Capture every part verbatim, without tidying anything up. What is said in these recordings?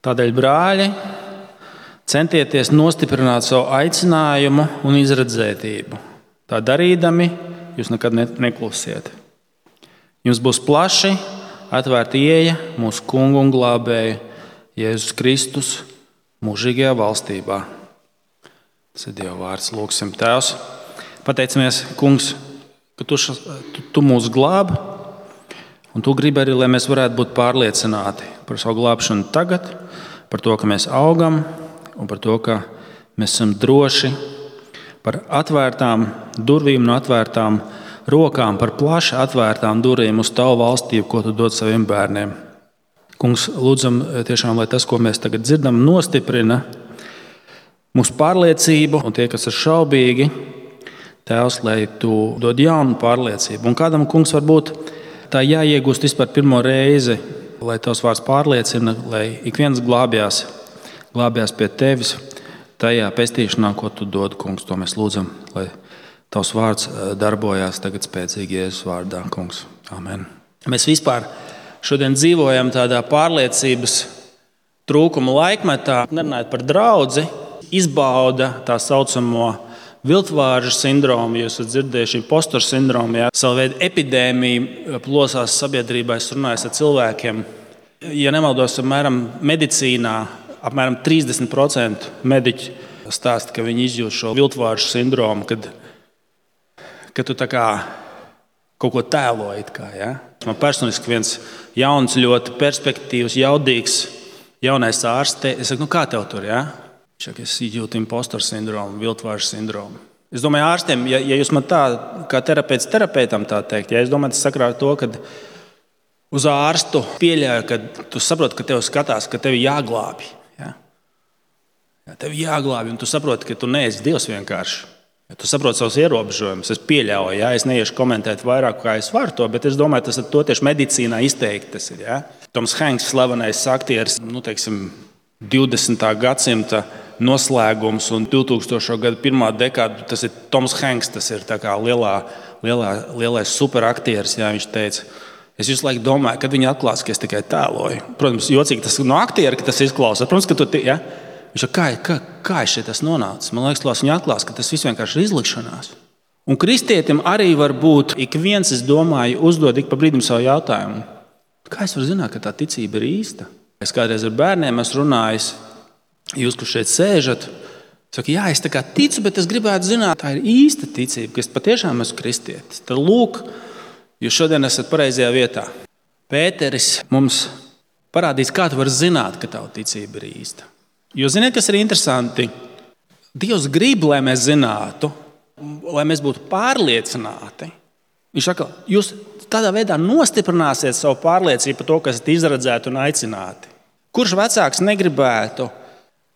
Tādēļ, brāļi, centieties nostiprināt savu aicinājumu un izredzētību. Tā darīdami, jūs nekad neklusiet. Jums būs plaši atvērta ieeja mūsu kungu un glābēju Jēzus Kristus mūžīgajā valstībā. Tas ir Dieva vārds. Lūksim, Tēvs. Pateicamies, Kungs, ka tu, tu, tu mūs glābi, un tu gribi arī, lai mēs varētu būt pārliecināti par savu glābšanu tagad, par to, ka mēs augam, un par to, ka mēs esam droši, par atvērtām durvīm un atvērtām rokām, par plaši atvērtām durvīm uz tavu valstību, ko tu dod saviem bērniem. Kungs, lūdzam tiešām, lai tas, ko mēs tagad dzirdam, nostiprina mūsu pārliecību, un tie, kas ir šaubīgi, Tēvs, lai tu dod jaunu pārliecību. Un kādam, Kungs, varbūt tā jāiegūst vispār pirmo reizi, lai tavs vārds pārliecina, lai ik viens glābjās, glābjās pie tevis tajā pestīšanā, ko tu dod, Kungs. To mēs lūdzam, lai tavs vārds darbojās tagad spēcīgi Jēzus vārdā, Kungs. Amen. Mēs vispār šodien dzīvojam tādā pārliecības trūkuma laikmetā, nerunājot par draudzi, izbauda tā saucamo viltvāržu sindromu, jūs esat dzirdējuši impostoru sindromu, jā. Savu veidu epidēmija plosās sabiedrībā, es runāju ar cilvēkiem. Ja nemaldos, apmēram medicīnā apmēram trīsdesmit procenti mediķi stāsta, ka viņi izjūt šo viltvāržu sindromu, kad, kad tu tā kā kaut ko tēloji. Kā, ja? Man personiski viens jauns, ļoti perspektīvs, jaudīgs jaunais ārsts, es saku, nu kā tev tur, ja? Es jūtu impostoru sindromu, viltvāržu sindromu. Es domāju, ārstiem, ja, ja jūs man tā, kā terapeits terapeitam tā teikt, ja es domāju, tas sakrā ar to, ka uz ārstu pieļauju, ka tu saproti, ka tev skatās, ka tevi jāglābi. Ja? Ja, tevi jāglābi, un tu saproti, ka tu neesi Dievs vienkārši. Ja, tu saproti savus ierobežojumus. Es pieļauju, ja? Es neiešu komentēt vairāk, kā es varu to, bet es domāju, tas ir to tieši medicīnā izteikti. Tas ir, ja? Toms Hanks, slavenais aktieris, nu, teiksim, divdesmitā gadsimta noslēgums un divtūkstošo gadu pirmā dekāda, tas ir Toms Hanks, tas ir tā kā lielā, lielā, lielais superaktieris, jā, viņš teica, es visu laiku domāju, kad viņi atklās, ka es tikai tēloju. Protams, jocīgi tas no aktiera, ka tas izklausās. Protams, ka tu, ja? Viņš ir, kā, kā, kā es šeit tas nonācis? Man liekas, viņi atklās, ka tas viss vienkārši ir izlikšanās. Un kristietim arī var būt, ik viens, es domāju, uzdod ik pa brīdim savu jautājumu. Kā es varu zināt, ka tā ticība ir īsta? Es kādreiz ar bērniem esmu runājis, jūs, kurš šeit sēžat, saka, jā, es tā kā ticu, bet es gribētu zināt, tā ir īsta ticība, ka es patiešām esmu kristietis. Tad lūk, jūs šodien esat pareizajā vietā. Pēteris mums parādīs, kā tu vari zināt, ka tava ticība ir īsta. Jo ziniet, kas ir interesanti? Dievs grib, lai mēs zinātu, lai mēs būtu pārliecināti. Viņš saka, jūs tādā veidā nostiprināsiet savu pārliecību par to, kas ir izredzēti un aicināti. Kurš vecāks negribētu,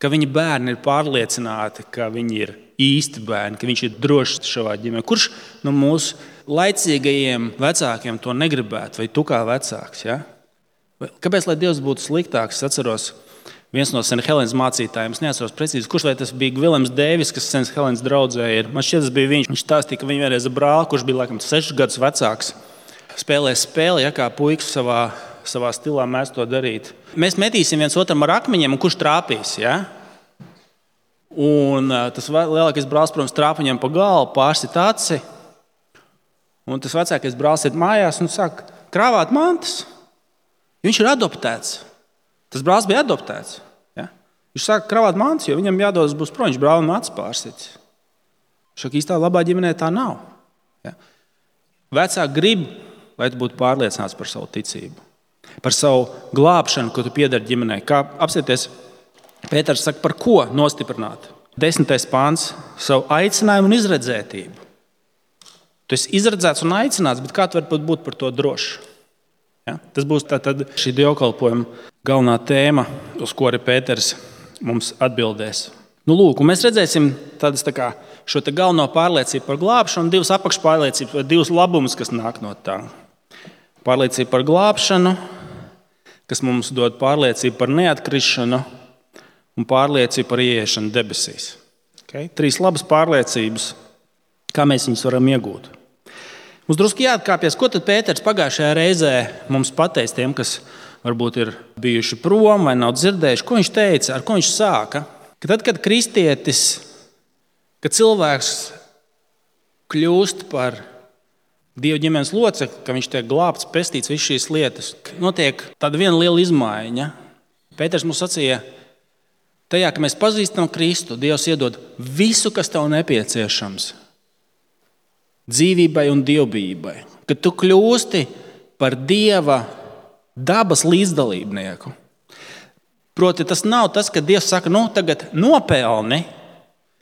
ka viņa bērni ir pārliecināti, ka viņi ir īsti bērni, ka viņš ir drošs savā ģimenē? Kurš no mūsu laicīgajiem vecākiem to negribētu, vai tu kā vecāks? Ja? Kāpēc, lai Dievs būtu sliktāks? Es atceros, viens no Saint Helēnas mācītājiem, es neatceros precīzi, kurš vai tas bija Viljams Deivis, kas Saint Helēnas draudzē ir. Man šķiet, tas bija viņš. Viņš stāstīja, ka viņa vienreiz ar brāli, kurš bija laikam sešus gadus vecāks, spēlēja spēli, ja kā puikas savā, savā stilā mēs to darīt. Mēs metīsim viens otram ar akmeņiem, un kurš trāpīs, ja? Un tas lielākais brālis, protams, trāpa viņam pa galvu, pārsit aci. Un tas vecākais brālis iet mājās un saka, krāvāt mantas. Viņš ir adoptēts. Tas brālis bija adoptēts. Ja? Viņš saka, krāvāt mantas, jo viņam jādodas būs prom, viņš brālim acis pārsits. Viņš saka, īstā labā ģimenē tā nav. Ja? Vecāki grib, lai tu būtu pārliecināts par savu ticību. Par savu glābšanu, ko tu piedari ģimenei. Kā apsieties, Pēters saka, par ko nostiprināt? Desmitais pāns, savu aicinājumu un izredzētību. Tu esi izredzēts un aicināts, bet kā tu vari būt par to drošs? Ja? Tas būs tātad šī dievkalpojuma galvenā tēma, uz ko arī Pēters mums atbildēs. Nu, lūk, un mēs redzēsim tādas tā kā šo te galveno pārliecību par glābšanu, divas apakšpārliecības, divas labumus, kas nāk no tā. Pārliecība par glābšanu, kas mums dod pārliecību par neatkrišanu un pārliecību par ieiešanu debesīs. Okay? Trīs labas pārliecības, kā mēs viņus varam iegūt. Mums drusku jāatkāpjas, ko tad Pēters pagājušajā reizē mums pateica tiem, kas varbūt ir bijuši prom vai nav dzirdējuši, ko viņš teica, ar ko viņš sāka. Ka tad, kad kristietis, kad cilvēks kļūst par Dieva ģimenes locekli, ka viņš tiek glābts, pestīts, visas šīs lietas, notiek tāda viena liela izmaiņa. Pēters mums sacīja, tajā, ka mēs pazīstam Kristu, Dievs iedod visu, kas tev nepieciešams dzīvībai un dievbijībai. Kad tu kļūsti par Dieva dabas līdzdalībnieku. Proti, tas nav tas, ka Dievs saka, nu tagad nopelni,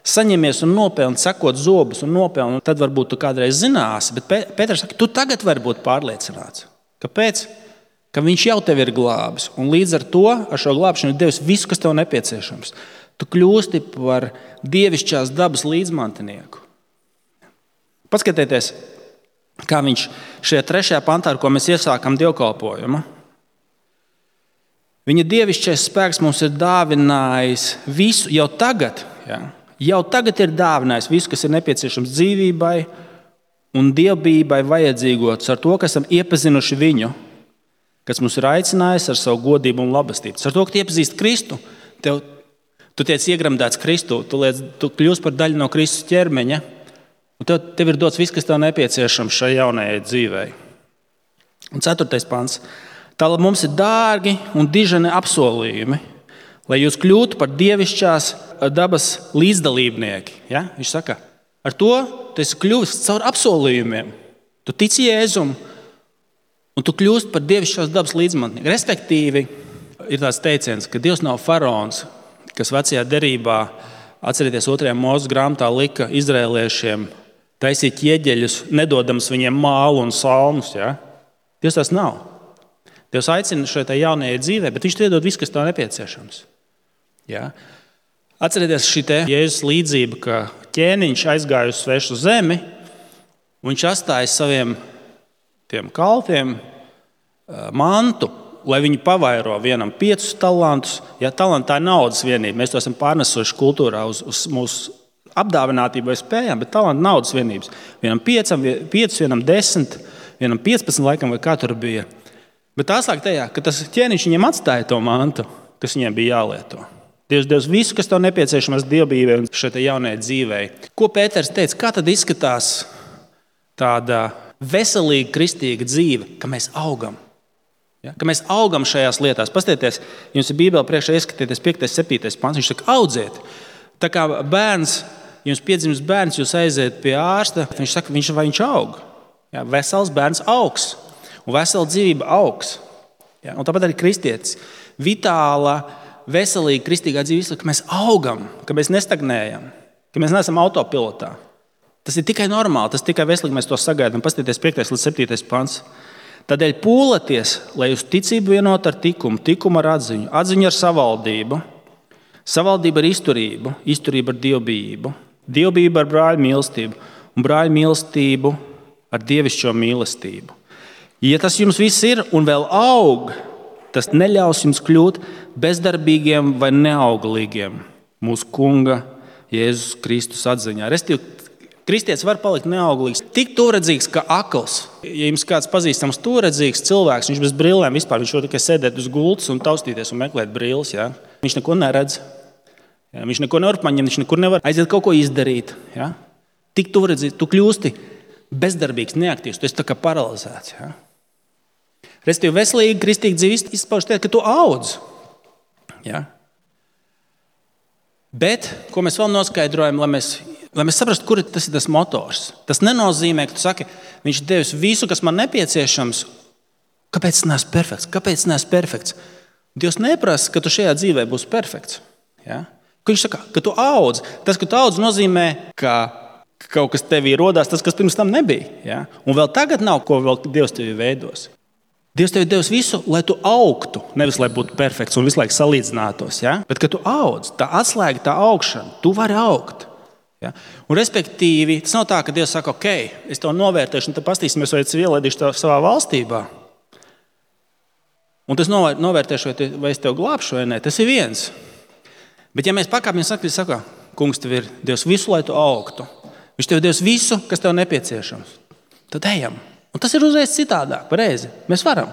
saņemies un nopelni, sakot zobus un nopelni, un tad varbūt tu kādreiz zināsi. Bet Pēters saka, tu tagad vari būt pārliecināts. Kāpēc? Ka viņš jau tevi ir glābis. Un līdz ar to, ar šo glābšanu ir devis visu, kas tev nepieciešams. Tu kļūsti par dievišķās dabas līdzmantinieku. Paskatieties, kā viņš šajā trešajā pantā, ar ko mēs iesākam dievkalpojumu. Viņa dievišķais spēks mums ir dāvinājis visu jau tagad, ja? Jau tagad ir dāvinājis visu, kas ir nepieciešams dzīvībai un dievbijībai vajadzīgots ar to, ka esam iepazinuši viņu, kas mums ir aicinājis ar savu godību un labestību. Ar to, ka tu iepazīsti Kristu, tev, tu tiec iegremdēts Kristu, tu, liec, tu kļūsi par daļu no Kristus ķermeņa, un tev, tev ir dots viss, kas tev nepieciešams šai jaunajai dzīvei. Un ceturtais pants. Tālāk mums ir dārgi un diženi apsolījumi, lai jūs kļūtu par dievišķās dabas līdzdalībnieki. Ja? Viņš saka, ar to tu esi kļuvis caur apsolījumiem. Tu tici Jēzum, un tu kļūst par dievišķās dabas līdzmantinieku. Respektīvi, ir tāds teiciens, ka Dievs nav faraons, kas vecajā derībā, atcerieties, otrajā Mūzes grāmatā lika izraēliešiem taisīt ķieģeļus, nedodams viņiem mālu un salmus. Ja? Dievs tas nav. Dievs aicina šai jaunajai dzīvē, bet viņš iedod visu, kas tev nepieciešams. Ja? Atcerieties šī te Jēzus līdzība, ka ķēniņš aizgāja uz svešu zemi, un viņš atstāja saviem tiem kalpiem mantu, lai viņi pavairo vienam piecus talantus. Ja, talanti tā ir naudas vienība. Mēs to esam pārnesuši kultūrā uz, uz mūsu apdāvinātību vai spējām, bet talanti naudas vienības. Vienam piecam, piecus, vienam desmit, vienam piecpadsmit laikam vai kā tur bija. Bet tā slēg tajā, ka tas ķēniņš viņiem atstāja to mantu, kas viņiem bija jālieto. Dievs devis visu, kas tev nepieciešams dievbijībai un šai jaunajai dzīvei. Ko Pēters teica, kā tad izskatās tāda veselīga kristīga dzīve, ka mēs augam? Ja? Ka mēs augam šajās lietās. Pastieties, jums ir Bībele priekšā, ieskatieties piektais, septītais pants. Viņš saka, audziet. Tā kā bērns, jums piedzimst bērns, jūs aiziet pie ārsta, viņš saka, viņš vai viņš aug. Ja? Vesels bērns augs. Un vesela dzīvība augs. Ja? Un tāpat arī kristietis. Vitāla, veselīga kristīgā dzīve, ka mēs augam, ka mēs nestagnējam, ka mēs neesam autopilotā. Tas ir tikai normāli, tas ir tikai veselīgi, mēs to sagaidām. Pastieties piektais līdz septītais pants. Tādēļ pūlaties, lai jūs ticību vienot ar tikumu, tikumu ar atziņu, atziņu ar savaldību, savaldību ar izturību, izturību ar dievbijību, dievbijību ar brāļu mīlestību un brāļu mīlestību ar dievišķo mīlestību. Ja tas jums viss ir un vēl aug, tas neļaus jums kļūt bezdarbīgiem vai neauglīgiem mūsu Kunga Jēzus Kristus atziņā. Restīvi, kristietis var palikt neauglīgs, tik turedzīgs kā akls. Ja jums kāds pazīstams turedzīgs cilvēks, viņš bez brillēm vispār, viņš var tikai sēdēt uz gultas un taustīties un meklēt brilles. Ja? Viņš neko neredz, ja? Viņš neko nevar paņemt, viņš nekur nevar aiziet kaut ko izdarīt. Ja? Tik turedzīgs, tu kļūsti bezdarbīgs, neaktīvs, tu esi tā kā paralizēts. Ja? Restīvi, veselīgi, kristīgi dzīve izpauž tie, ka tu audz. Ja? Bet, ko mēs vēl noskaidrojam, lai mēs, lai mēs saprastu, kur tas ir tas motors. Tas nenozīmē, ka tu saki, viņš devis visu, kas man nepieciešams. Kāpēc es neesmu perfekts? Kāpēc es neesmu perfekts? Dievs neprasa, ka tu šajā dzīvē būsi perfekts. Ja? Viņš saka, ka tu audz. Tas, ka tu audz, nozīmē, ka kaut kas tevī rodās, tas, kas pirms tam nebija. Ja? Un vēl tagad nav, ko vēl Dievs tevi veidos. Dievs tev ir devis visu, lai tu augtu, nevis lai būtu perfekts un visu laiku salīdzinātos. Ja? Bet, kad tu audz, tā atslēga, tā augšana, tu vari augt. Ja? Un, respektīvi, tas nav tā, ka Dievs saka, ok, es tev novērtēšu, un tad pastīsimies, vai es ielaidīšu tev savā valstībā. Un tas novērtēšu, vai es tev glābšu vai nē, tas ir viens. Bet, ja mēs pakāpjamies, saka, saka, kungs, tev ir Dievs visu, lai tu augtu. Viņš tev ir devis visu, kas tev nepieciešams. Tad ejam. Un tas ir uzreiz citādāk, pareizi. Mēs varam.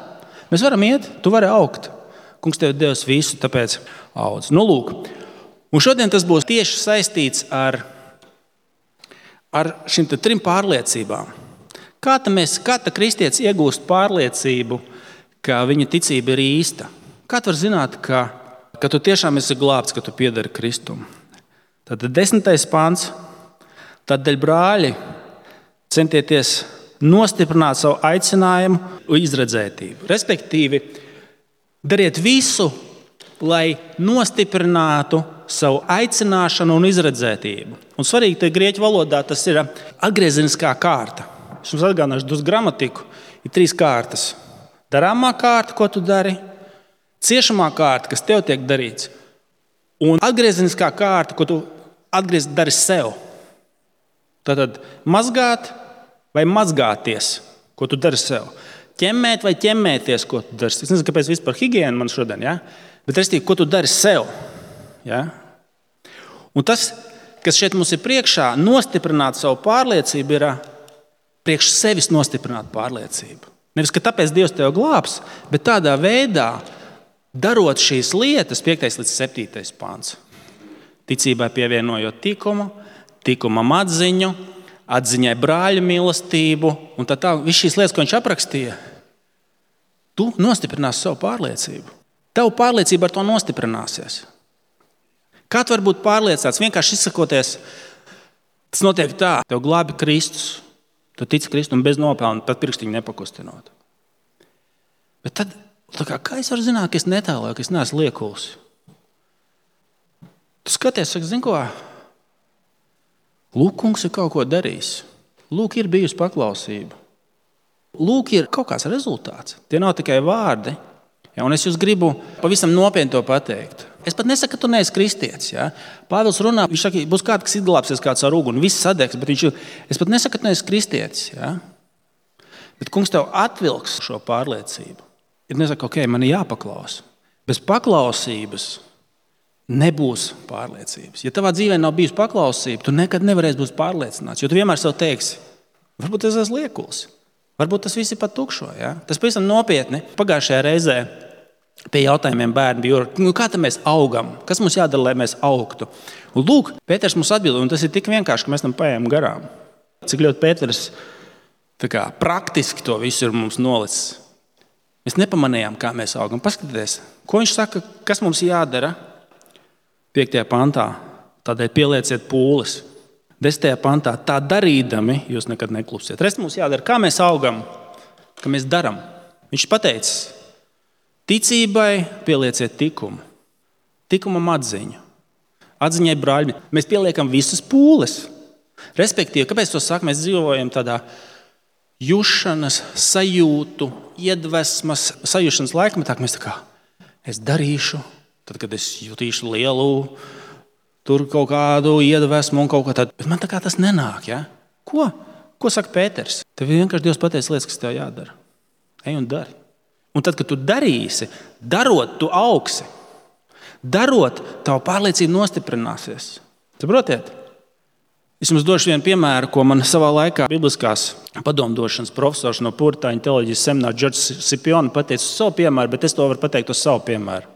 Mēs varam iet, tu vari augt. Kungs tev devis visu, tāpēc audz. Nu, lūk. Un šodien tas būs tieši saistīts ar, ar šīm trim pārliecībām. Kā tā, mēs, kā tā kristietis iegūst pārliecību, ka viņa ticība ir īsta? Kā tu vari zināt, ka, ka tu tiešām esi glābts, ka tu piedari Kristum? Tad desmitais pants. Tādēļ, brāļi, centieties nostiprināt savu aicinājumu un izredzētību. Respektīvi, dariet visu, lai nostiprinātu savu aicināšanu un izredzētību. Un svarīgi, ka grieķu valodā tas ir atgriezeniskā kārta. Es jums atgādināšu dus gramatiku. Ir trīs kārtas. Darāmā kārta, ko tu dari, ciešamā kārta, kas tev tiek darīts, un atgriezeniskā kārta, ko tu atgriezt dari sev. Tātad mazgāt vai mazgāties, ko tu dari sev. Ķemmēt vai ķemmēties, ko tu dari. Es nezinu, kāpēc vispār higiēna man šodien, ja? Bet restīvi, ko tu dari sev. Ja? Un tas, kas šeit mums ir priekšā, nostiprināt savu pārliecību, ir priekš sevis nostiprināt pārliecību. Nevis, ka tāpēc Dievs tev glābs, bet tādā veidā, darot šīs lietas, piektais līdz septītais pants. Ticībai pievienojot tikumu, tikumam atziņu, atziņai brāļa mīlestību, un tā tā, viss šīs lietas, ko viņš aprakstīja, tu nostiprināsi savu pārliecību. Tavu pārliecība ar to nostiprināsies. Kā tu vari būt pārliecināts? Vienkārši izsakoties, tas notiek tā, tev glābi Kristus, tu tici Kristum bez nopelna, pat pirkstiņu nepakustinot. Bet tad, kā, kā es varu zināt, ka es netēloju, ka es neesmu liekuls? Tu skaties, saka, zini ko? Lūk, kungs ir kaut ko darījis. Lūk, ir bijusi paklausība. Lūk, ir kaut kāds rezultāts. Tie nav tikai vārdi. Ja, un es jūs gribu pavisam nopietni to pateikt. Es pat nesaku, ka tu neesi kristietis. Ja. Pāvils runā, viņš saka, būs kāds, kas izglābsies kāds ar uguni, viss sadegs, bet viņš, es pat nesaku, ka tu neesi kristietis. Ja. Bet kungs tev atvilks šo pārliecību. Ir nesaka, ok, man ir jāpaklaus. Bez paklausības nebūs pārliecības. Ja tavā dzīvē nav bijusi paklausība, tu nekad nevarēsi būt pārliecināts, jo tu vienmēr sev teiksi, varbūt es esmu liekuls, varbūt tas viss ir pat tukšo. Ja? Tas pavisam nopietni. Pagājušajā reizē pie jautājumiem bērni bija, nu, kā tad mēs augam, kas mums jādara, lai mēs augtu. Un lūk, Pēters mums atbild, un tas ir tik vienkārši, ka mēs tam paējām garām. Cik ļoti Pēters tā kā, praktiski to visu ir mums nolicis. Mēs nepamanījām, kā mēs augam. Paskatieties, ko viņš saka, kas mums jādara. piektajā pantā, tādēļ pielieciet pūles. desmitajā pantā, tā darīdami, jūs nekad neklusiet. Rest mums jādara, kā mēs augam, kā mēs daram. Viņš pateicis, ticībai pielieciet tikumu, tikumam atziņu, atziņai brāļi. Mēs pieliekam visas pūles. Respektīvi, kāpēc to saka, mēs dzīvojam tādā jušanas, sajūtu, iedvesmas, sajūšanas laikmetā, ka mēs tā kā, es darīšu, tad, kad es jutīšu lielu, tur kaut kādu iedvesmu un kaut ko tādu. Bet man tā kā tas nenāk, ja? Ko? Ko saka Pēters? Tev vienkārši Dievs pateica lietas, kas tev jādara. Ej un dari. Un tad, kad tu darīsi, darot, tu augsi. Darot, tava pārliecība nostiprināsies. Saprotiet? Es jums došu vienu piemēru, ko man savā laikā bibliskās padomdošanas profesors no Puritāņu teoloģijas semināra Džordžs Sipioni pateica uz savu piemēru, bet es to varu pateikt uz savu piemēru.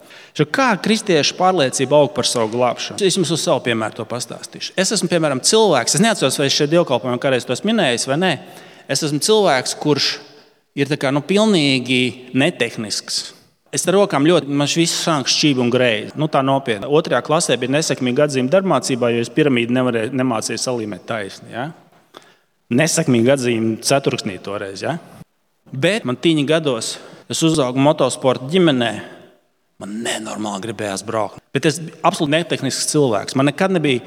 Kā kristiešu pārliecība aug par savu glābšanu? Es jums uz savu piemēru to pastāstīšu. Es esmu, piemēram, cilvēks, es neatceros, vai es šeit dievkalpojumā kādreiz to esmu minējis vai nē. Es esmu cilvēks, kurš ir tā kā, nu, pilnīgi netehnisks. Es ar rokām ļoti, man viss sāk šķīvi un greizi. Nu, tā nopietni. Otrajā klasē bija nesekmīga atzīme darbmācībā, jo es piramīdu nevarēju, nemācīju salīmēt taisni. Ja? Nesekmīga atzīme ceturksnī toreiz. Ja? Bet man tīņi gados, es uzaugu motosporta ģimenē, man nenormāli gribējās braukt. Bet es biju absolūti netehnisks cilvēks. Man nekad nebija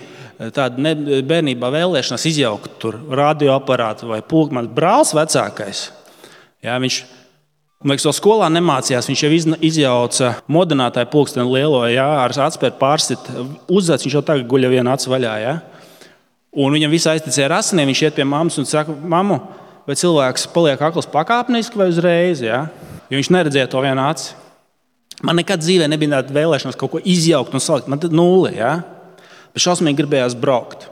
tāda ne, bērnībā vēlēšanās izjaukt tur radioaparātu vai pulku. Man brālis vecākais, jā, viņš, man liekas, vēl skolā nemācījās. Viņš jau izjauca modinātāju pulksteni lielo, jā, ar atspēru pārsit uzzats. Viņš jau tagad guļa viena acu vaļā. Jā. Un viņam viss aizticēja ar asinīm. Viņš iet pie mammas un saka, mamu, vai cilvēks paliek akls pakāpeniski vai uzreiz? Jā? Jo viņš neredzēja to vienu aci. Man nekad dzīvē nebija tāda vēlēšanās kaut ko izjaukt un salikt. Man tad nulle, ja? Bet šausmīgi gribējās braukt.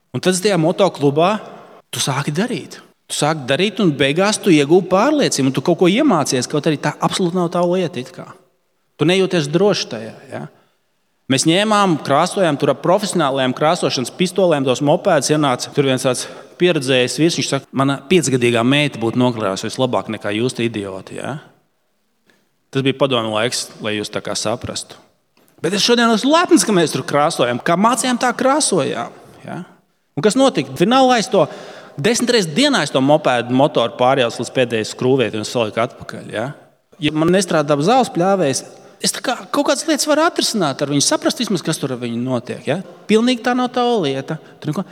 Un tad tajā motoklubā tu sāki darīt. Tu sāki darīt, un beigās tu iegūti pārliecību, un tu kaut ko iemācies, kaut arī tā absolūti nav tava lieta. It kā. Tu nejūties droši tajā. Ja? Mēs ņēmām, krāsojām tur ar profesionālajām krāsošanas pistolēm, tos mopēdus ienāca. Tur viens tāds pieredzējis vīrs, viņš saka, mana piecgadīgā meita būtu nokrāsojusi labāk nekā jūs, idioti. Ja? Tas bija padomju laiks, lai jūs tā kā saprastu. Bet es šodien esmu lepns, ka mēs tur krāsojam. Kā mācījām, tā krāsojām. Ja? Un kas notika? Finālā es to desmit reizes dienā es to mopēdu motoru pārjaucu līdz pēdējai skrūvēti un saliku atpakaļ. Ja? Ja man nestrādā zāles pļāvējs, es tā kā kaut kādas lietas varu atrisināt ar viņu, saprast vismaz, kas tur ar viņu notiek. Ja? Pilnīgi tā nav tava lieta. Neko...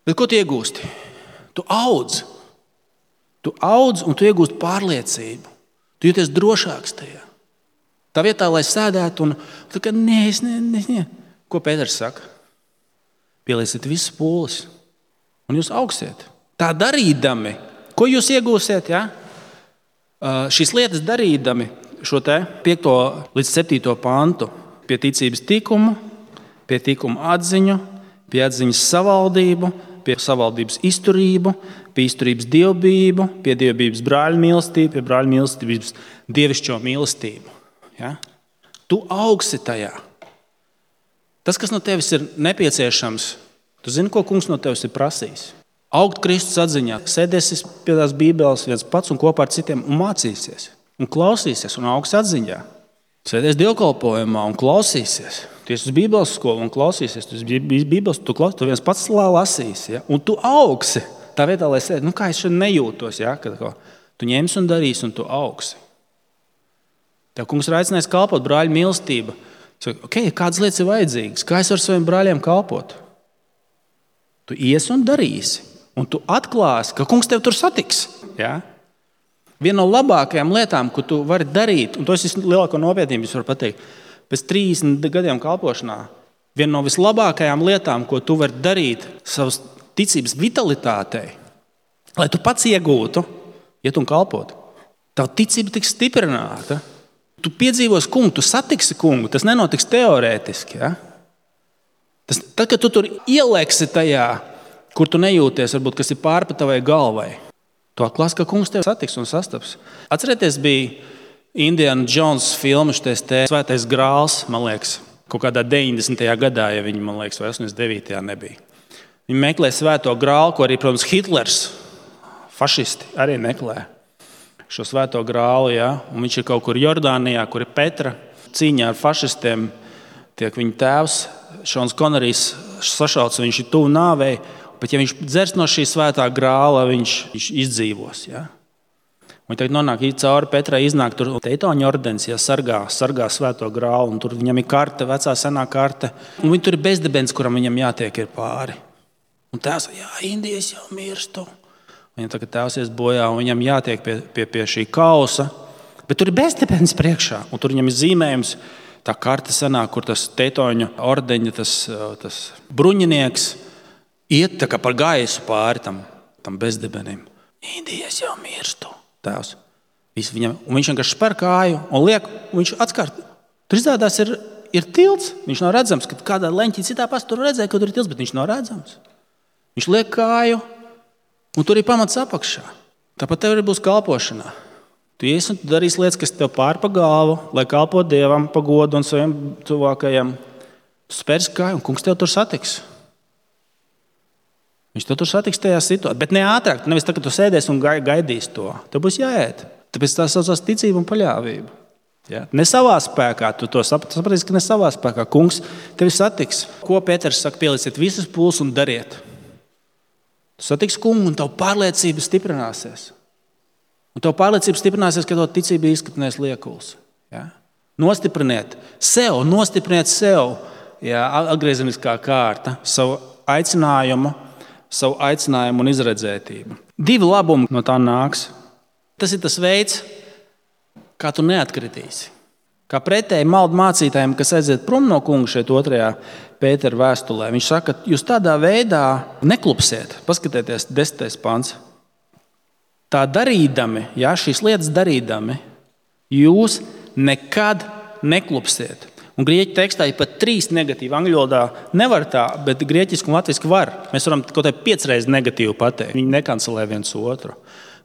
Bet ko tu iegūsti? Tu audz. Tu audz un tu iegūsti pārliecību. Tu jūties drošāks tajā. Tā vietā, lai sēdētu un tu kā, nē, es ne, ne, ne. Ko Pēters saka? Pielieciet visas pūles un jūs augsiet. Tā darīdami, ko jūs iegūsiet? Ja? Uh, šīs lietas darīdami šo te piekto līdz septīto pantu pie ticības tikumu, pie tikuma atziņu, pie atziņas savaldību, pie savaldības izturību, pie izturības dievbijību, pie dievbijības brāļu mīlestību, pie brāļu mīlestības dievišķo mīlestību. Ja? Tu augsi tajā. Tas, kas no tevis ir nepieciešams, tu zini, ko kungs no tevis ir prasījis. Augt Kristus atziņā, sēdēsies pie tās bībeles viens pats un kopā ar citiem un mācīsies. Un klausīsies un augs atziņā. Sēdēs dievkalpojumā un klausīsies. Tu esi uz bībeles skolu un klausīsies. Tu esi bībeles, tu, klaus, tu viens pats lasīsi. Ja? Un tu augsi. Tā vietā, lai sēdi, nu kā es šeit nejūtos. Ja? Kad, ko, tu ņemsi un darīsi un tu augsi. Tev kungs ir aicinājis kalpot brāļu mīlestība. Saka, ok, kādas lietas ir vajadzīgas? Kā es varu saviem brāļiem kalpot? Tu iesi un darīsi. Un tu atklāsi, ka kungs tev tur satiks. Ja? Viena no labākajām lietām, ko tu vari darīt, un to es lielāko nopietnību varu pateikt, pēc trīsdesmit gadiem kalpošanā, viena no vislabākajām lietām, ko tu vari darīt savas ticības vitalitātei, lai tu pats iegūtu, iet un kalpotu. Tava ticība tiks stiprināta. Tu piedzīvos kungu, tu satiksi kungu, tas nenotiks teorētiski. Ja? Tas, tad, kad tu tur ielēksi tajā, kur tu nejūties, varbūt, kas ir pāri pa tavai galvai, tu atklāsi, ka kungs tevi satiks un sastaps. Atcerieties, bija Indiana Jones filma, šitais te Svētais grāls, man liekas, kaut kādā deviņdesmitajā gadā, ja viņi, man liekas, vai astoņdesmit devītajā nebija. Viņi meklē Svēto grālu, ko arī, protams, Hitlers, fašisti, arī meklē šo Svēto grālu, ja? Un viņš ir kaut kur Jordānijā, kur ir Petra, cīņā ar fašistiem, tiek viņa tēvs, Šons Konerijs sašauts, viņš ir tuvu nāvei, bet ja viņš dzers no šī svētā grāla, viņš, viņš izdzīvos. Ja? Viņi tagad nonāk cauri Petrai, iznāk tur Teitoņa ordenis, ja, sargā, sargā svēto grālu, un tur viņam ir karte, vecā senā karte, un viņi tur ir bezdibens, kuram viņam jātiek ir pāri. Un tēvs, jā, Indijas jau mirstu. Viņam tagad tēvs ies bojā, un viņam jātiek pie, pie, pie šī kausa, bet tur ir bezdibens priekšā, un tur viņam ir zīmējums, tā karte senā, kur tas Teitoņa ordeņa, tas, tas bruņinieks, iet tā kā par gaisu pāri tam, tam bezdibenim. Indijas jau mirstu, tēvs. Viņam, un viņš vienkārši spēr kāju un liek, un viņš atskārt. Tur izrādās ir, ir tilts, viņš nav redzams, kad kādā leņķī citā pasta tur redzēja, ka tur ir tilts, bet viņš nav redzams. Viņš liek kāju, un tur ir pamats apakšā. Tāpat tev arī būs kalpošanā. Tu ies un tu darīsi lietas, kas tev pār pa galvu, lai kalpo Dievam, pa godu un saviem tuvākajiem. Tu spērs kāju, un kungs tev tur satiks. Viņš to tur satiks tajā situācijā, bet ne ātrāk. Nevis tā, ka tu sēdēsi un gaidīsi to. Tev būs jāiet. Tāpēc tā saucās ticība un paļāvība. Ja? Ne savā spēkā. Tu to sapratīsi, ka ne savā spēkā. Kungs tevi satiks. Ko Pēters saka? Pielieciet visas pūles un dariet. Tu satiks kungu un tavu pārliecība stiprināsies. Un tavu pārliecība stiprināsies, ka tavu ticība izskatinās liekuls. Ja? Nostipriniet sev, nostipriniet sev. Ja? Atgriezeniskā kārta. Savu aicinājumu. savu aicinājumu un izredzētību. Divi labumi no tā nāks. Tas ir tas veids, kā tu neatkritīsi. Kā pretēji maldu mācītājiem, kas aiziet prom no kunga šeit otrajā Pētera vēstulē. Viņš saka, ka jūs tādā veidā neklupsiet. Paskatieties, desmitais pants. Tā darīdami, ja, šīs lietas darīdami, jūs nekad neklupsiet. Un grieķu tekstā ir pat trīs negatīvi. Angļu valodā nevar tā, bet grieķiski un latviski var. Mēs varam kaut kā piecreiz negatīvi pateikt. Viņi nekancelē viens otru.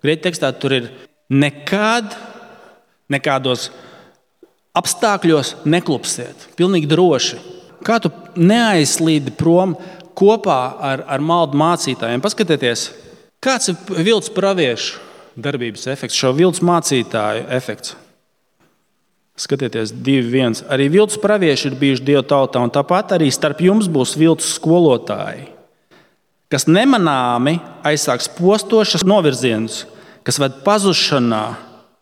Grieķu tekstā tur ir nekad, nekādos apstākļos neklupsiet. Pilnīgi droši. Kā tu neaizslīdi prom kopā ar, ar maldu mācītājiem? Paskatieties, kāds ir viltus praviešu darbības efekts, šo viltus mācītāju efekts. Skatieties, divi viens. Arī viltus pravieši ir bijuši Dieva tautā, un tāpat arī starp jums būs viltus skolotāji, kas nemanāmi aizsāks postošas novirzienus, kas ved pazušanā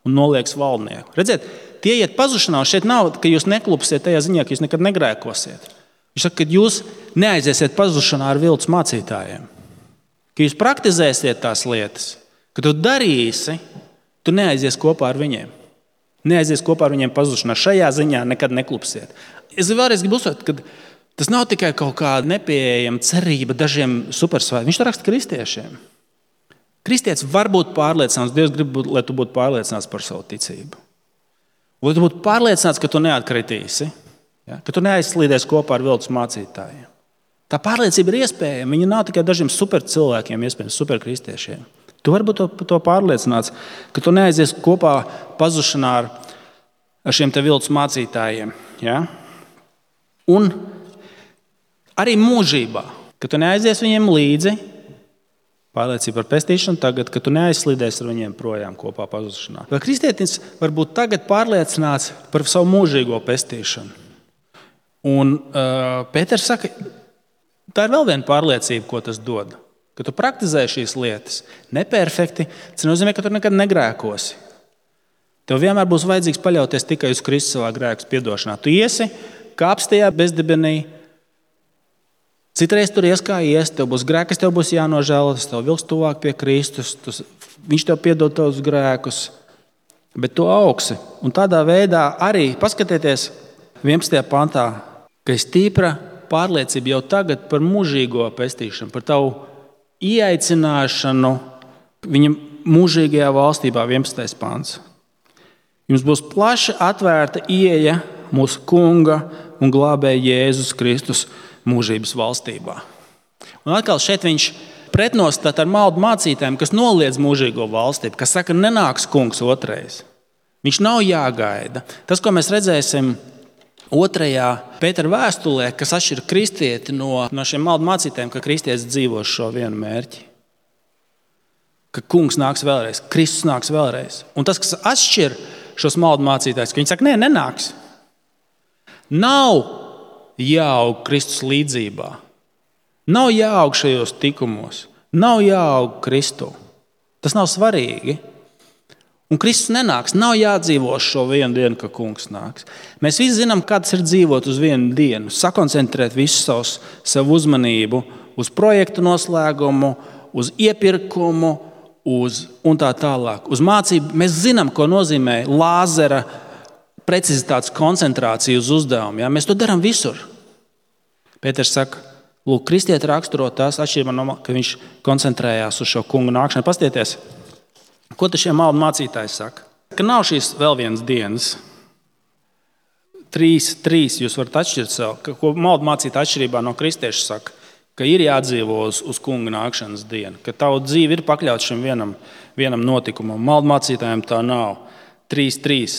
un nolieks valdnieku. Redziet, tie iet pazušanā, un šeit nav, ka jūs neklupsiet tajā ziņā, ka jūs nekad negrēkosiet. Viņš saka, ka jūs neaiziesiet pazušanā ar viltus mācītājiem, ka jūs praktizēsiet tās lietas, ka tu darīsi, tu neaizies kopā ar viņiem. Neaizies kopā ar viņiem pazušanā. Šajā ziņā nekad neklupsiet. Es vēlreiz gribu uzsvērt, ka tas nav tikai kaut kāda nepieejama cerība dažiem supersvētkiem. Viņš to raksta kristiešiem. Kristietis var būt pārliecināts, Dievs grib, lai tu būtu pārliecināts par savu ticību. Lai tu būtu pārliecināts, ka tu neatkritīsi, ja? Ka tu neaizslīdies kopā ar viltus mācītājiem. Tā pārliecība ir iespējama. Viņa nav tikai dažiem supercilvēkiem, iespējams, superkristiešiem. Tu vari būt to, to pārliecināts, ka tu neaizies kopā pazušanā ar, ar šiem te viltus mācītājiem. Ja? Un arī mūžībā, ka tu neaizies viņiem līdzi, pārliecība par pestīšanu tagad, ka tu neaizslīdies ar viņiem projām kopā pazušanā. Vai kristietis var būt tagad pārliecināts par savu mūžīgo pestīšanu? Un uh, Pēters saka, tā ir vēl viena pārliecība, ko tas dod. Ka tu praktizē šīs lietas neperfekti, tas nozīmē, ka tu nekad negrēkosi. Tev vienmēr būs vajadzīgs paļauties tikai uz Kristus savā grēku piedošanā. Tu iesi kāps tajā bezdibenī, citreiz tur ies kā ies, tev būs grēki, kas tev būs jānožēlo, tas tev vilks tuvāk pie Kristus, tas, viņš tev piedod tavus grēkus, bet tu augsi. Un tādā veidā arī, paskatieties vienpadsmitajā pantā, ka ir stīpra pārliecība jau tagad par mūžīgo pestīšanu, par tavu ieaicināšanu viņa mūžīgajā valstībā, vienpadsmitais pants. Jums būs plaši atvērta ieeja mūsu Kunga un glābēja Jēzus Kristus mūžības valstībā. Un atkal šeit viņš pretnostat ar maldu mācītājiem, kas noliedz mūžīgo valstību, kas saka, nenāks kungs otrais. Viņš nav jāgaida. Tas, ko mēs redzēsim otrajā Pētera vēstulē, kas atšķir kristieti no, no šiem maldu mācītājiem, ka kristietis dzīvo šo vienu mērķi. Ka kungs nāks vēlreiz, Kristus nāks vēlreiz. Un tas, kas atšķir šos maldu mācītājus, ka viņi saka, nē, nenāks. Nav jāaug Kristus līdzībā. Nav jāaug šajos tikumos. Nav jāaug Kristu. Tas nav svarīgi. Un Kristus nenāks, nav jādzīvo šo vienu dienu, ka kungs nāks. Mēs visi zinām, kā tas ir dzīvot uz vienu dienu, sakoncentrēt visu savus, savu uzmanību uz projektu noslēgumu, uz iepirkumu, uz un tā tālāk. Uz mācību mēs zinām, ko nozīmē lāzera precizitātes koncentrācija uz uzdevumu. Ja? Mēs to darām visur. Pēters saka, lūk, kristieti raksturo tās atšķirībā no, ka viņš koncentrējās uz šo kungu nākšanu. Pastieties! Ko te šie maldu mācītāji saka? Ka nav šīs vēl vienas dienas. Trīs, trīs jūs varat atšķirt sev. Ko maldu mācītāji atšķirībā no kristiešu saka? Ka ir jādzīvo uz, uz kunga nākšanas dienu. Ka tavu dzīve ir pakļauts šim vienam, vienam notikumam. Maldu mācītājiem tā nav. Trīs, trīs.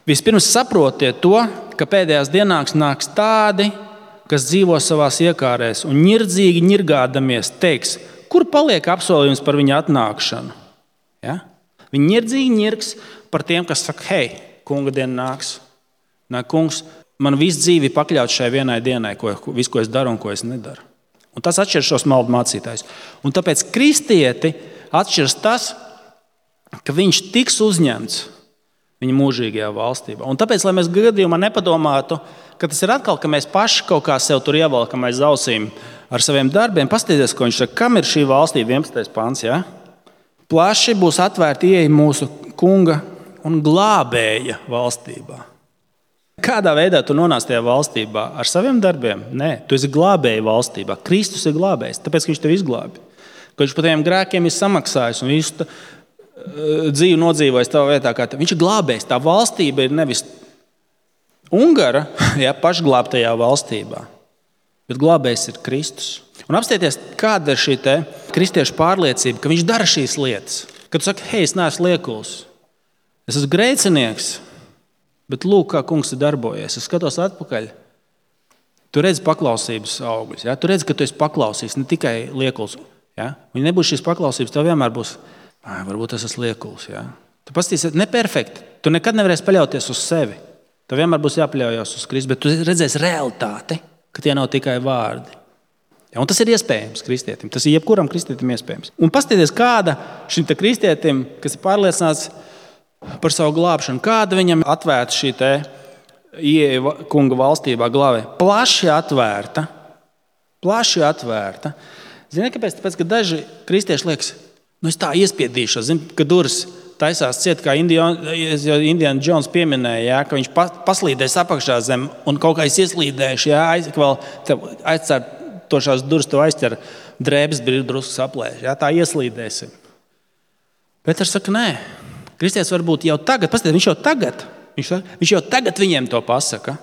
Vispirms saprotiet to, ka pēdējās dienās nāks tādi, kas dzīvo savās iekārēs un ņirdzīgi ņirgādamies teiks, kur paliek apsolījums par viņa atnākšanu. Ja? Viņi ņirdzīgi ņirgs par tiem, kas saka, hei, kunga diena nāks. Nā, kungs, man visu dzīvi pakļaut šai vienai dienai, ko, visu, ko es daru un ko es nedaru. Un tas atšķir šos maldu mācītājus. Un tāpēc kristieti atšķirs tas, ka viņš tiks uzņemts viņa mūžīgajā valstībā. Un tāpēc, lai mēs gadījumā nepadomātu, ka tas ir atkal, ka mēs paši kaut kā sev tur ievelkam aiz ausīm ar saviem darbiem, paskatieties, ko viņš saka, kam ir šī valstība, vienpadsmitais pants, ja? Plaši būs atvērta ieeja mūsu kunga un glābēja valstībā. Kādā veidā tu nonāc tajā valstībā? Ar saviem darbiem? Nē, tu esi glābēja valstībā. Kristus ir glābējs, tāpēc, ka viņš tevi izglābi. Ka viņš par tiem grēkiem ir samaksājis un visu tā, uh, dzīvi nodzīvojis tavā vietā. Kā viņš ir glābējs. Tā valstība ir nevis Ungara, jā, pašglābtajā valstībā, bet glābējs ir Kristus. Un apstieties, kāda ir šī te kristiešu pārliecība, ka viņš dara šīs lietas. Kad tu saki, hei, es neesmu liekuls, es esmu grēcinieks, bet lūk, kā kungs ir darbojies. Es skatos atpakaļ. Tu redzi paklausības augļus. Ja? Tu redzi, ka tu esi paklausīgs, ne tikai liekuls. Ja? Ja nebūs šīs paklausības, tev vienmēr būs, varbūt es esmu liekuls. Ja? Tu pastīsies, neperfekti. Tu nekad nevarēsi paļauties uz sevi. Tev vienmēr būs jāpaļaujas uz Kristu, bet tu redzēsi realitāti, ka tie nav tikai vārdi. Ja? Un tas ir iespējams kristietim. Tas ir jebkuram kristietim iespējams. Un pastīties, kāda šim te kristietim, kas ir pārliecināts par savu glābšanu, kāda viņam atvērta šī te ieeja kunga valstībā glābē. Plaši atvērta. Plaši atvērta. Zini, kāpēc? Tāpēc, ka daži kristieši liekas, nu es tā iespiedīšos, zini, ka durvis taisās ciet, kā Indiana Jones pieminēja, jā, ka viņš paslīdēs apakšā zem un kaut kā es ieslīdēšu, jā, aiz, vēl aizcer tošās durvis, to aizķer drēbes brīdi drusku saplēš, jā, tā ieslīdēsim. Pēters saka, nē, kristietis varbūt jau tagad, paskatieties, viņš jau tagad, viņš, viņš jau tagad viņiem to pasaka,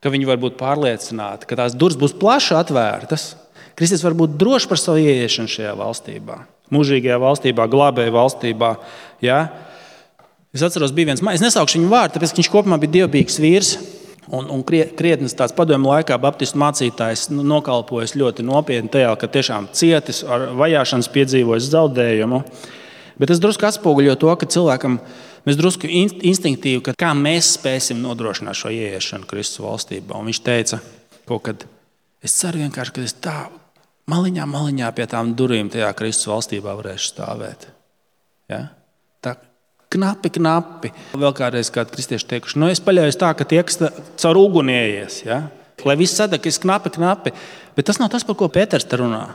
ka viņi var būt pārliecināti, ka tās durvis būs plaši atvērtas. Kristietis var būt drošs par savu ieiešanu šajā valstībā, mūžīgajā valstībā, glābēja valstībā. Ja? Es atceros, bija viens, es nesaukšu viņu vārdu, tāpēc, ka viņš kopumā bija dievbijīgs vīrs un, un krietnes tāds padomju laikā baptistu mācītājs nokalpojas ļoti nopietni tajā, ka tiešām cietis ar vajāšanas piedzīvojis zaudējumu. Bet es drusku atspoguļoju to, ka cilvēkam mēs drusku instinktīvi, ka kā mēs spēsim nodrošināt šo ieiešanu Kristus valstībā. Un viņš teica, kaut kad es ceru vienkārši, ka es tā maliņā, maliņā pie tām durvīm tajā Kristus valstībā varēšu stāvēt. Ja? Tā knapi, knapi. Vēl kādreiz kādi kristieši teikuši, nu es paļaujos tā, ka tie, kas caur uguni ieies, ja? Lai viss sadeg, ka es knapi, knapi. Bet tas nav tas, par ko Pēters te runā.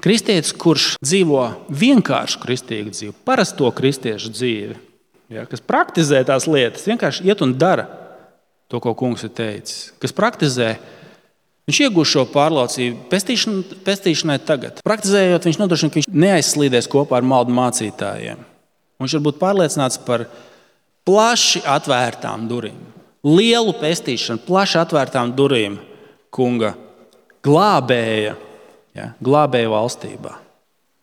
Kristietis, kurš dzīvo vienkāršu kristīgu dzīvi, parasto kristiešu dzīvi, ja, kas praktizē tās lietas, vienkārši iet un dara to, ko kungs ir teicis. Kas praktizē, viņš iegūs šo pārliecību pestīšana, pestīšanai tagad. Praktizējot, viņš nodrošina, ka viņš neaizslīdēs kopā ar maldu mācītājiem. Viņš var būt pārliecināts par plaši atvērtām durvīm. Lielu pestīšanu, plaši atvērtām durvīm kunga glābēja. Ja, glābēja valstībā.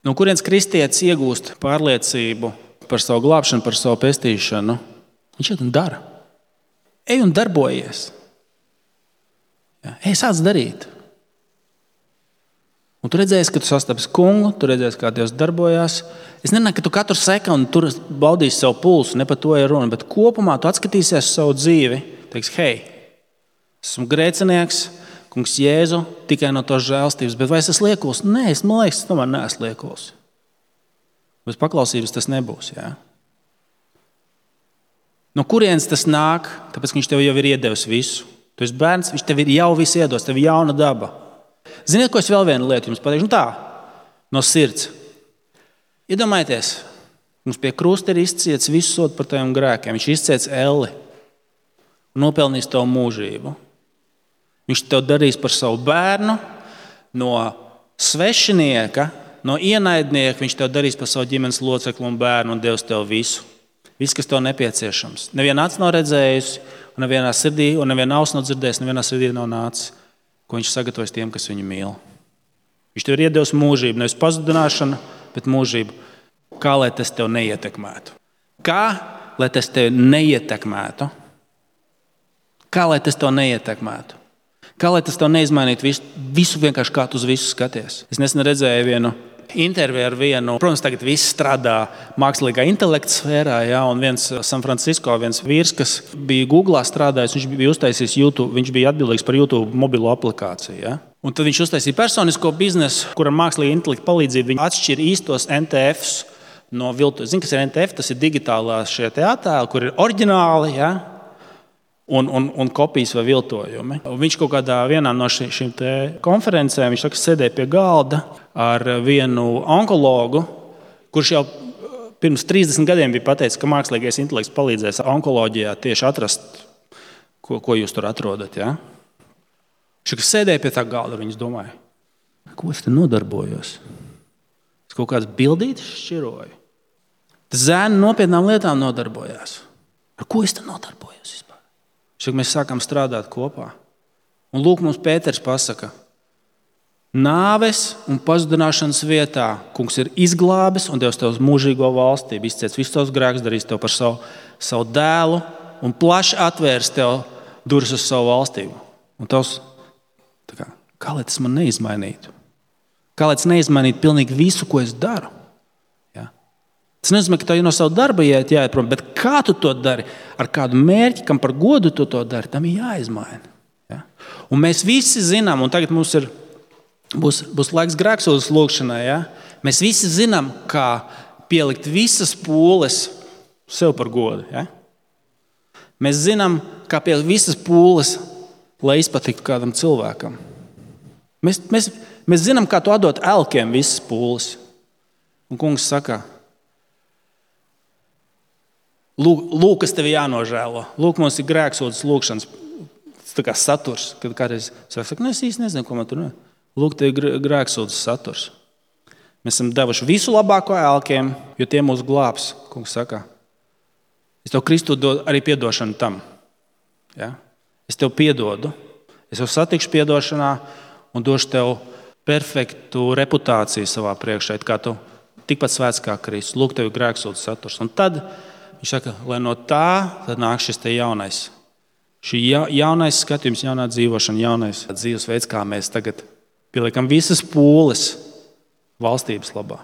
No kurienes kristietis iegūst pārliecību par savu glābšanu, par savu pestīšanu? Viņš iet un dara. Ej un darbojies. Ja, ej, sāc darīt. Un tu redzēsi, ka tu sastapsi kungu, tu redzēsi, kā Dievs darbojās. Es nenāku, ka tu katru sekundi tur baudīsi savu pulsu, ne par to ir runa, bet kopumā tu atskatīsies savu dzīvi, teiksi, hei, esmu grēcinieks, kungs Jēzu, tikai no tos žēlstības, bet vai es esmu liekuls? Nē, es man liekas, es tomēr neesmu liekuls. Bez paklausības tas nebūs, jā. No kurienes tas nāk? Tāpēc, ka viņš tev jau ir iedevis visu. Tu esi bērns, viņš tev ir jau visu iedos, tev ir jauna daba. Ziniet, ko es vēl vienu lietu jums pateikšu? Nu tā, no sirds. Iedomājieties, mums pie krusta ir izciets visu sodu par taviem grēkiem. Viņš izciets elli un nopelnīs tavu mūžību. Viņš tev darīs par savu bērnu, no svešinieka, no ienaidnieka. Viņš tev darīs par savu ģimenes locekli un bērnu un Dievs tev visu. Viss, kas tev nepieciešams. Neviena acis nav redzējusi, un nevienā sirdī, un neviena auss nav dzirdējusi, nevienā sirdī nav nācis, ko viņš sagatavojas tiem, kas viņu mīl. Viņš tev ir iedevis mūžību, nevis pazudināšanu, bet mūžību. Kā lai tas tev neietekmētu? Kā lai tas tev neietekmētu? Kā lai tas tev neietekmētu? Kā lai tas tev neizmainītu visu, visu vienkārši kā tu uz visu skaties? Es nesen redzēju vienu interviju ar vienu, protams, tagad viss strādā mākslīgā intelekta sfērā, ja, un viens San Francisco, viens vīrs, kas bija Googlā strādājis, viņš bija uztaisījis YouTube, viņš bija atbildīgs par YouTube mobilo aplikāciju. Ja. Un tad viņš uztaisīja personisko biznesu, kuram mākslīgā intelekta palīdzība viņa atšķir īstos N T Fs no viltus. Zini, kas ir N T F? Tas ir digitālā šie te attēli, kur ir oriģināli, ja, un, un, un kopijas vai viltojumi. Un viņš kaut kādā vienā no ši, šīm te konferencēm, viņš saka, sēdēja pie galda ar vienu onkologu, kurš jau pirms trīsdesmit gadiem bija pateicis, ka mākslīgais intelekts palīdzēs onkoloģijā tieši atrast, ko, ko jūs tur atrodat. Ja? Viņš sēdēja pie tā galda, viņš domāja, ko es te nodarbojos? Es kaut kādas bildītes šķiroju. Tas zēni nopietnām lietām nodarbojās. Ar ko es te nodarbojos vispār? Šeit mēs sākam strādāt kopā. Un lūk, mums Pēters pasaka, nāves un pazudināšanas vietā kungs ir izglābis un devis tev uz mūžīgo valstību, izciets visus tavus grēkus, darīs tev par savu, savu dēlu un plaši atvērs tev durvis uz savu valstību. Un tavs, tā kā, kā lai tas man neizmainītu? Kā lai tas neizmainītu pilnīgi visu, ko es daru? Ja? Tas nenozīmē, ka tev no savu darba jāiet jāieprom, bet kā tu to dari, ar kādu mērķi, kam par godu tu to dari, tam ir jāizmaina. Ja? Un mēs visi zinām, un tagad mums ir Būs, būs laiks grēksūdzes lūgšanai. Ja? Mēs visi zinām, kā pielikt visas pūles sev par godu. Ja? Mēs zinām, kā pielikt visas pūles, lai izpatiktu kādam cilvēkam. Mēs, mēs, mēs zinām, kā to atdot elkiem visas pūles. Un kungs saka, lūk, lūk kas tev jānožēlo. Lūk, mums ir grēksūdzes lūgšanas tā kā saturs. Kad kādreiz saka, nu es īsti nezinu, ko man tur ne. Lūk, te ir grēksūdzes saturs. Mēs esam devuši visu labāko elkiem, jo tie mūs glābs, kungs saka. Es tev Kristu dodu arī piedošanu tam. Ja? Es tev piedodu. Es tev satikšu piedošanā un došu tev perfektu reputāciju savā priekšā, kā tu tikpat svēts kā Kristus. Lūk, tev ir grēksūdzes saturs. Un tad viņš saka, lai no tā tad nāk šis te jaunais. Šī jaunais skatījums, jaunā dzīvošana, jaunais dzīvesveids, kā mēs tagad pieliekam visas pūles valstības labā.